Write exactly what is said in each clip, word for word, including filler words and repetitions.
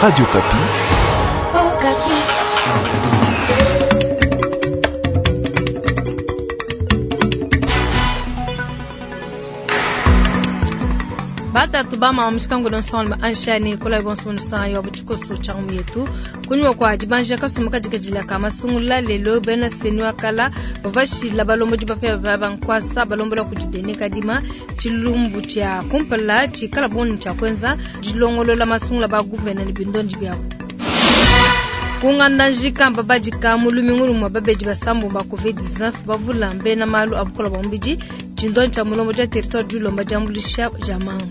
Radio Okapi. Oh, Batatu bama mushikangu ensemble anshani kola bonso san yo buchikoso changu yetu kunywa kwa dibanja kasumba kadikadila ka masungula lelo bena senwa kala bavashila balombo bapya babankwasa balombola kudidene kadima chilumbu cha kumpala chikala bonu cha kwenza dilongolola masungula ba gouverneur ni bindondi byabo kunganda njikamba badika mulumingulu mwa babeji basambu ba covid dix-neuf bavula mbena malu abukola bombidi chindon cha mulombo ja territoire du lomba jambulisha jamanga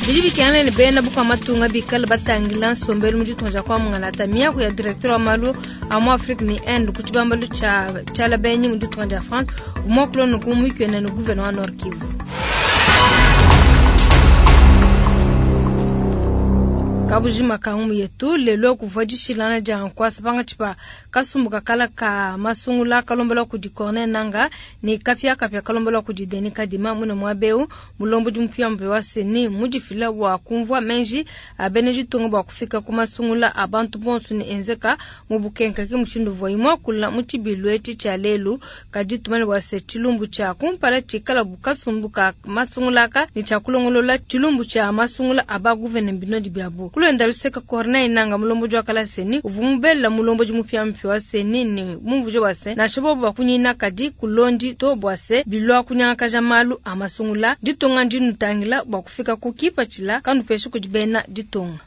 bidi bikana ne bena buka matunga bikala batangila nsombelu mu ditunga dia kwa mungalata miaku ya directeur wa malu a mu Afrique ni Inde ku tshibambalu tsha tshala benyi mu ditunga dia France umwakulo no kumwikena no gouverneur wa Nord Kivu. Kabujima kangu yetu lelo kuvua dishilana dia nkwasa panga tshipa kasumbu kakala ka masungula kalombola kudi Corneille Nanga ni kapia kapia kalombola kudi Denis Kadima muna mwabeu mulombo di mupia mpe wa seni mudifila wa kumvua menji abene ditunga bua kufika ku masungula abantu bonso ni enzeka mu bukenka ke mushindu vua imua kula mu tshibilu etshi tshia lelu kadi tumane bua se tshilumbu tshia kumpala tshikala bu kasumbu ka masungula ka ni tshia kulongolola tshilumbu tshia masungula aba gouverneur binodi biabu. Kulenda luseka Corneille Nanga mulombo jwa kala seni uvumubela mulombo jimupya mpya wa seni ni mumvuje wa se na shobo bwa kunyina kadi kulondi to bwa se bilwa kunyanga kaja malu amasungula ditonga ndinutangila bwa kufika kukipa chila kanu peshu kujibena ditonga.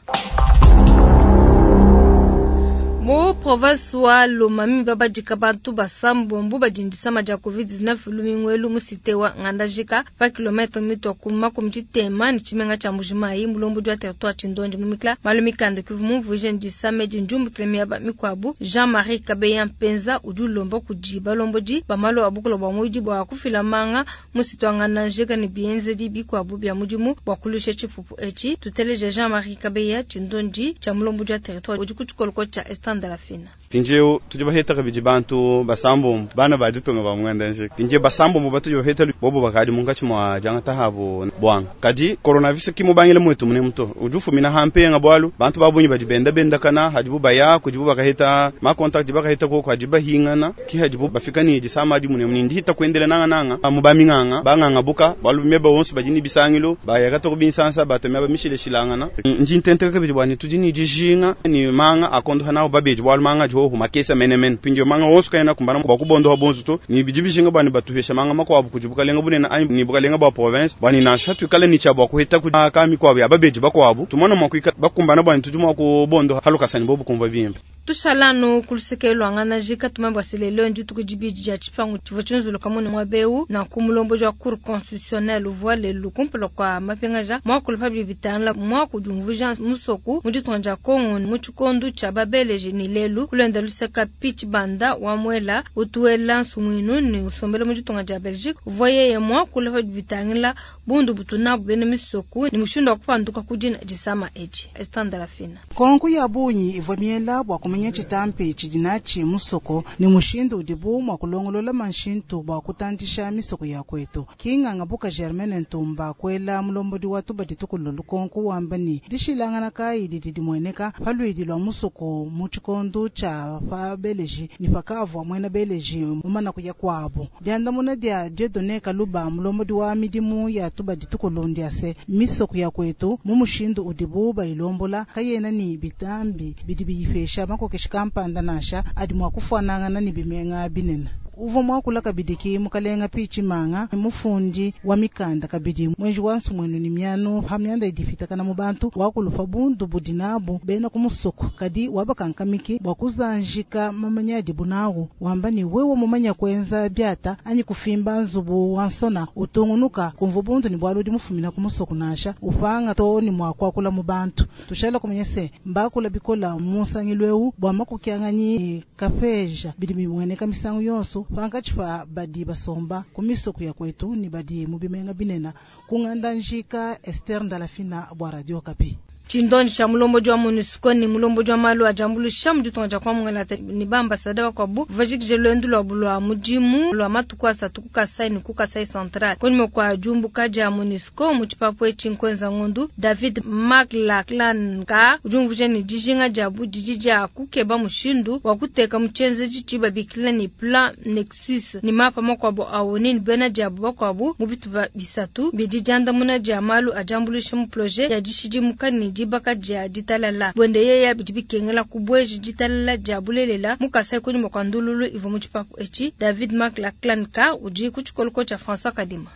Mu province wa Lomami babadika bantu basambombo badindisa maja covid dix-neuf lumingwelu mu cité wa Ngandajika pa kilomètre mitwa kuma kumtitema ni chimenga cha Mbujimayi mulombo jwa territoire Chindondi mumikla malumikanda kivu mumvuje ndisa meji njumbu kilemia ba mikwabu Jean-Marie Kabeya Mpenza udulombo kujiba lomboji bamalo abukulo bwa muji bwa kufila manga mu cité wa Ngandajika ni bienze di bikwabu bya mujimu bwa kulusha chipupu echi tuteleje Jean-Marie Kabeya Chindondi cha mulombo jwa territoire ujikuchukoloko cha Estanda Fina. Pinjeu tudi baheta kabidi bantu basambo bana bajitunga ba mwenda nje. Pinjeu basambo mu batu baheta bobo bakadi mungachi mwa janga tahabo bwanga. Kadi coronavirus ki mubangile mwetu mune muto. Ujufu mina hampe nga bwalu bantu babunyi badi benda benda kana hadibu baya kujibu bakaheta ma contact bakaheta ko kwajiba hingana ki hadibu bafika ni disama di mune mune ndihita kuendele nanga nanga mu baminganga banganga buka balu meba wonso badini bisangilo bayaka to binsansa batomya ba mishile shilangana. Nji ntente kabidi bwani tudi ni dijinga ni manga akondo hana babe bwalu manga jo humakesa menemen pinjo manga wonso kaina kumbana bakubondo habonzo to ni bijibishinga bani batuhesha manga makwabu kujibuka lenga bunena ai ni buka lenga ba province bani na shatu kale ni chabwa kuheta ku kami kwabu ababeji bakwabu tumona makwika bakumbana bani tujuma ku bondo haluka bobu kumva bimpe tushalano kulusekelo angana jika tumambwa selelo ndi tukujibiji ya chipangu chivo chinzulu kamone mwabeu na kumulombo jwa cour constitutionnelle voile lukumpelo kwa mapengaja mwakulu pabli bitanla mwakudumvuja musoku muditonja Kongo muchikondu cha babeleje ni lelu kulenda luseka pitch banda wa mwela utuela nsumwinu ni usombele muditonga ja Belgique voye ye mwakulu pabli bitangla bundu butuna bene misoku ni mushindo kupanduka kujina jisama eji estanda fina konku ya bunyi ivamiela bwa kumenya chitampi chidinachi musoko ni mushindu udibu mwa kulongolola manshintu bwa kutandisha misoko ya kwetu kinganga buka Germaine Ntumba kwela mulombodi wa tuba ditukulo lukonku wamba ni dishilangana kayi didi dimweneka palwidi lwa musoko mu chikondo cha pa beleji ni pakavwa mwena beleji mumana kuya kwabo diandamuna dia Dieudonné Kaluba mulombodi wa midimu ya tuba ditukulo ndiase misoko ya kwetu mu mushindu udibu bayilombola kayena ni bitambi bidi biyipesha makokeshi kampanda nasha adi mwa kufanangana ni bimenga binena uvo mwakula kabidi mukalenga pichi manga mufundi wa mikanda kabidi mwenji wa nsumwenu ni miano hamyanda idifitakana mu bantu wakulufa bundu budinabu bena kumusoko kadi wabakankamiki bwa kuzanjika mamanya dibunawu wamba ni wewe mumanya kwenza byata anyi kufimba nzubu wansona utungunuka kumva bundu ni bwaludi mufumina kumusoko nasha upanga to ni mwakwakula mu bantu tushala kumenya se mbakula bikola musangilwewu bwa makukyanganyi kafeja bidi bimweneka misangu yonso pankachipa badi basomba kumisoko ya kwetu ni badi mubimenga binena kunganda njika Esther Ndalafina bwa Radio Okapi. Tshindondi tshia mulombodi wa MONUSCO ne mulombodi wa malu a diambuluisha mu ditunga dia Kongo ne ba ambassadeur bakuabu bajikije luendu lwabu lwa mudimu lwa matuku asatu ku Kasai ne ku Kasai Central. Kunyima kua diumbuka dia MONUSCO mu tshipapu etshi nkuenza ngondu David McLachlan ka udi umvuija ne dijinga diabu didi dia kukeba mushindu wa kuteka mu tshienzedi tshibabikila ne plan Nexus ne mapa makuabu a ONU ne bena diabu bakuabu mu bitupa bisatu bidi diandamuna dia malu a diambuluisha mu projet ya dishidimuka ne dibaka dia ditalala bwende yeya bidi bikengela kubweji ditalala dia bulelela mu Kasai kunyima kua ndululu ivua mu tshipapu etshi David McLachlan ka udi ku tshikoloko tshia François Kadima.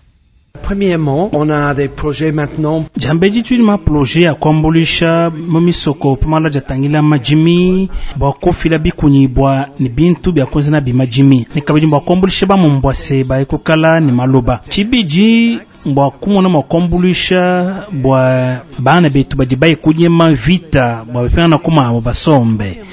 Premièrement, on a des projets maintenant. Diambedi tudi ma projet ya kuambuluisha mu misoko pamala diatangila madimi bua kufila bikunyibua ne bintu bia kuenza nabi madimi ne kabidi bua kuambuluisha bamumbua se bayikukala ne maloba tshibidi bua kumona mua kuambuluisha bua bana betu badi bayikunyema vita bua bapingana kumabo basombe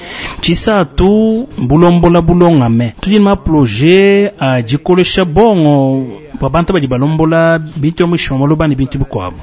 tshisatu bulombola bulongame tudi ma projet a dikolesha bongo bua bantu badi balombola bintu ya mwisho wa maloba ne bintu bikuabu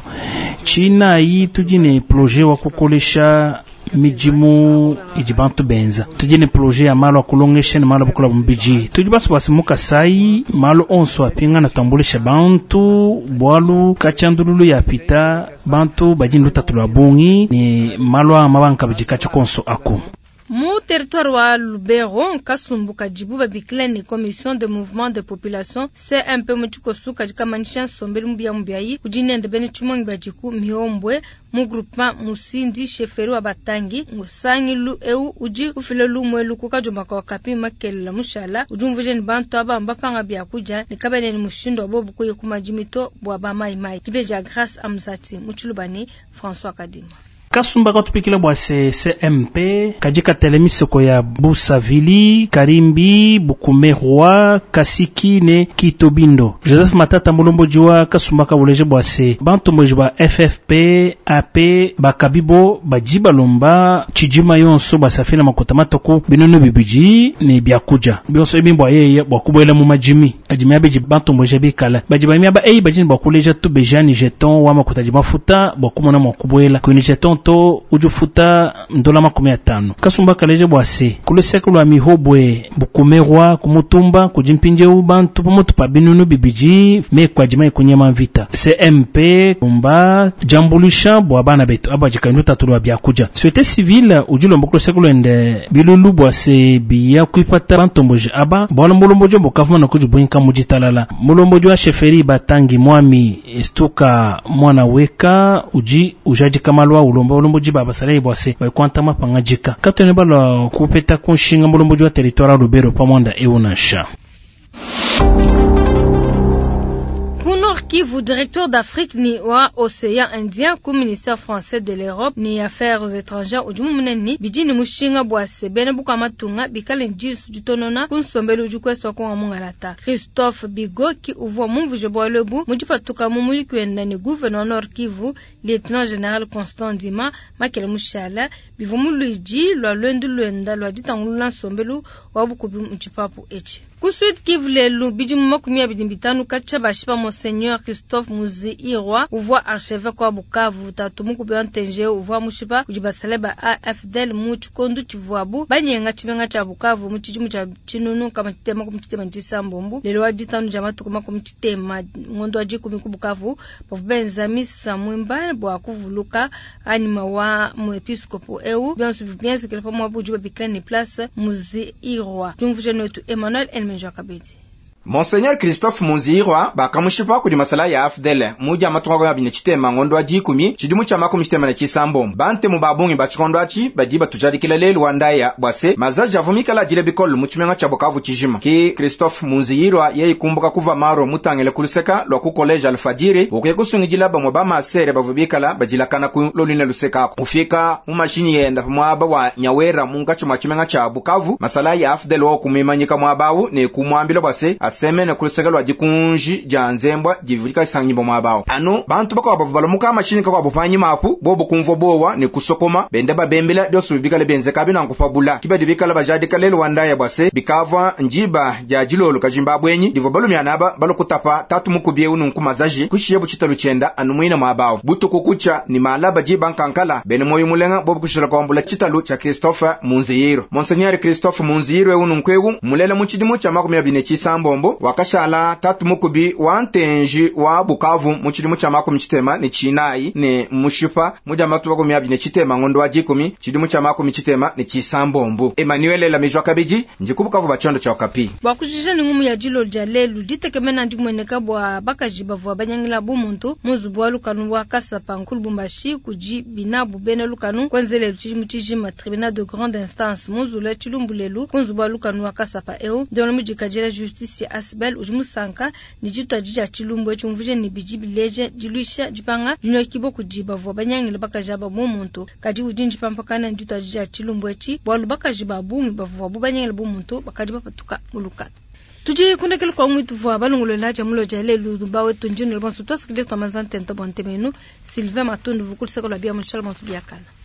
tshinayi tudi ne projet wa kukolesha midimu idi bantu benza tudi ne projet ya malu a kulongesha ne malu a bukola mubidi tudi baso basi mu Kasai malu onso apingana tuambulisha bantu bualu katshiandululu ya pita bantu badi ne lutatu lua bungi ne malu a mabanka badi katshia konso aku. Mu territoire wa Lubero nkasumbu kadibu babikila ne commission de mouvement de population C M P mu tshikosu kadi kamanyisha nsombelu mubia mubiayi udi nende bene tshimongi badiku miombwe mu groupement Musindi chefferie wa Batangi. Musangilu eu udi ufila lumwe luku kadiomba ka Okapi makelela mushala udi umvuija ne bantu aba mbapanga biakudia ne kabene ne mushindu wa bobu kuya ku madimi to bua ba mai mai dibeja Grâce Amzati mu tshiluba ne François Kadima. Kasumba katupikila bua C M P kadi katele misoko ya Busavili, Karimbi, Bukumerwa, Kasiki ne Kitobindo. Joseph Matata mulomboji wa kasumba kabuleje bua se bantomboji ba F F P A P bakabibo badi balomba tshidima yonso basafila makota matuku binono bibidi ne biakudia bionso ebi bua yeye bua kubuela mu madimi adi miaba idi bantomboji bikala badi bamiaba eyi badi ne bua kuleja tubeja ni jeton wa makuta adi mafuta bua kumona mua kubuela kuni jeton to udi ufuta ndola makumi atano. Kasumba kaleja bua se kuluseke lua mihobwe Bukumerwa kumutumba kudi mpindieu bantu pamutu pa binunu bibidi meku adi mai kunyema mvita. C M P umba diambuluisha bua bana betu aba dikali lutatu lua biakudia. Société civile udi ulomba kuluseke luende bilulu bua se biya kuipata bantomboji aba bualu mulomboji bukavuma na kudibuinka mu ditalala. Mulomboji wa chefferie Batangi Mwami Estuka mwana weka udi ujadika malu a ulomba ulomboji ba basalayi bua se baikuanta mapangajika katwene balua kupeta kunshinga mulomboji wa territoire ya Lubero pamwanda eu nansha. Ku Nord Kivu, directeur d'Afrique ni wa Océan Indien ku ministère français de l'Europe ni Affaires étrangères udi mumunene bidi ni mushinga bua se bena buka matunga bikale disu ditonona ku nsombelu udi kueswa konga mungalata. Christophe Bigoki uvua mumvuje bualu ebu mu dipatuka mu muyuki wenda ne gouverneur Nord Kivu lieutenant général Constant Ndima makele mushala bivua mu luidi lua luendu luenda lua ditangulula nsombelu wa bukubi mu tshipapu etshi. Ku Sud Kivu lelu bidimu makumi abidi bitanu katshia bashipa Monseigneur Christophe Munzihirwa uvua archevêque wa Bukavu tatu mukubi wa ntenje uvua mushipa kudi basale ba A F D L mu tshikondo tshivuabu banyenga tshimenga tshia Bukavu mu tshidimu tshia tshinunu nkama tshitema makumi tshitema ne tshisambombo. Lelo wa ditanu dia matuku makumi tshitema ngondo wa dikumi ku Bukavu bavua benza misa mwimba bua kuvuluka anima wa muepiskopo eu bionso bienzekele pamuabu udi babikila ne place Munzihirwa. Diumvuija netu Emmanuel Elmenjo Kabedi. Monseigneur Christophe Munzihirwa bakamushipa kudi masala ya A F D L muja matunga abini tshitema ngondo wa dikumi tshidimu tshia makumi tshitema na tshisambo. Bantemu ba bungi ba tshikondo atshi badi batujadikila lelu wa ndaya bua se mazaji avua mikala adile bikole mu tshimenga tshia Bukavu tshijima. Ki Christophe Munzihirwa yeye kumbuka kuva maro mutangile kuluseka lua ku collège Alfadiri ukuye kusungidila bamwe ba masere bavua bikala badilakana ku lolina luseka ako ufika mu mashinyi yenda muaba wa Nyawera munkatshi mua tshimenga tshia Bukavu masala ya A F D L wa kumimanyika muaba awu ne kumwambila bua se Basemene kuluseke lwa dikunji dia nzembwa divulika sangibwa mwabao anu bantu bakwabo balamuka mashini kakwabo panyima apu bobo kumvwa bowa ne kusokoma benda babembela byoso bikale benzeka binankufa kibadi bikala bajadika lelo wandaya bwase bikava njiba dia dilolo kajimba bwenyi divo balumyana aba balokutapa tatu mukubye ununku mazaji kushiye buchitalu chenda anu mwina mwabao butuku kucha ni malaba jiba nkankala bene moyo mulenga bobo kushila kwambula chitalu cha Christophe Munzihiro. Monseigneur Christophe Munzihiro ununkwegu mulela muchidimu cha makumi abine chisambombo wakashala tatu mukubi wa ntenji wa Bukavu muchidimu cha makumi chitema ni chinayi ne mushipa muja matu makumi abine chitema ngondo wa jikumi chidimu cha makumi chitema ni chisambombo. Emmanuel Lamijwa Kabiji njikubukavu bachondo cha Okapi. Bwa kujija ni ngumu ya jilo lya lelu ditekemena ndimweneka bwa bakaji bavua banyangila bumuntu muzubu wa lukanu wa Kasapa nkulu Lubumbashi kuji binabu bene lukanu kwenzelelu chijimu chijima tribunal de grande instance muzula chilumbu lelu kunzubu wa lukanu wa Kasapa eo ndiono mujikajela justice ya Asbel uji musanka ni jitwa jija chilumbu echi umvuje ni biji bileje jiluisha jipanga junyo kibo kuji bavua banyangila bakaji aba bumuntu kadi ujinji pampakana njitwa jija chilumbu echi bwalu bakaji babungi bavua banyangila bumuntu bakadi bapatuka muluka. Tuji kundekele kwa mwitu vwa balungulela ja mulo ja lelu dubawe tunjino bonso twasikile twa mazantento bontemenu Sylvain Matundu vukuliseko la bia mushal bonso biakana.